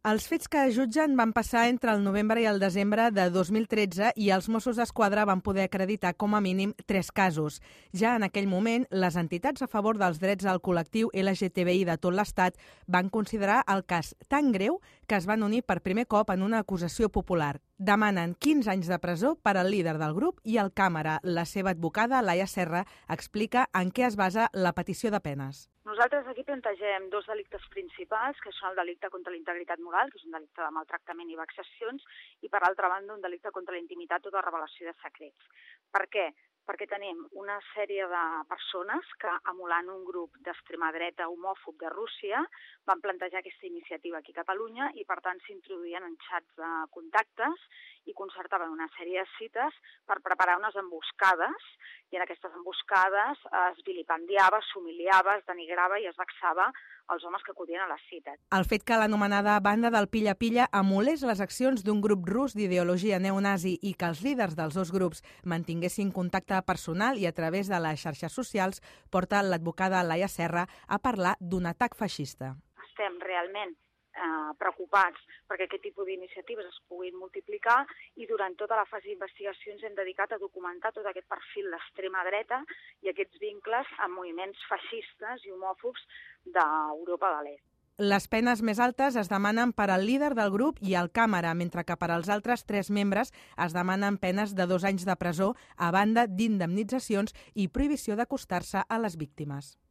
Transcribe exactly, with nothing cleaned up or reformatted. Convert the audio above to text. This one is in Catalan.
Els fets que jutgen van passar entre el novembre i el desembre de dos mil tretze i els Mossos d'Esquadra van poder acreditar com a mínim tres casos. Ja en aquell moment, les entitats a favor dels drets al col·lectiu L G T B I de tot l'Estat van considerar el cas tan greu que es van unir per primer cop en una acusació popular. Demanen quinze anys de presó per al líder del grup i el càmera. La seva advocada, Laia Serra, explica en què es basa la petició de penes. Nosaltres aquí plantegem dos delictes principals, que són el delicte contra la integritat moral, que és un delicte de maltractament i vexacions, i per altra banda un delicte contra la intimitat o de revelació de secrets. Per què? Perquè tenim una sèrie de persones que, emulant un grup d'extrema dreta homòfob de Rússia, van plantejar aquesta iniciativa aquí a Catalunya i, per tant, s'introduïen en xats de contactes i concertaven una sèrie de cites per preparar unes emboscades, i en aquestes emboscades es vilipendiava, s'humiliava, es denigrava i es vexava els homes que acudien a les cites. El fet que l'anomenada banda del pilla-pilla emulés les accions d'un grup rus d'ideologia neonazi i que els líders dels dos grups mantinguessin contacte personal i a través de les xarxes socials porta l'advocada Laia Serra a parlar d'un atac feixista. Estem realment eh, preocupats perquè aquest tipus d'iniciatives es puguin multiplicar i durant tota la fase d'investigació ens hem dedicat a documentar tot aquest perfil d'extrema dreta i aquests vincles amb moviments feixistes i homòfobs d'Europa de l'Est. Les penes més altes es demanen per al líder del grup i al càmera, mentre que per als altres tres membres es demanen penes de dos anys de presó a banda d'indemnitzacions i prohibició d'acostar-se a les víctimes.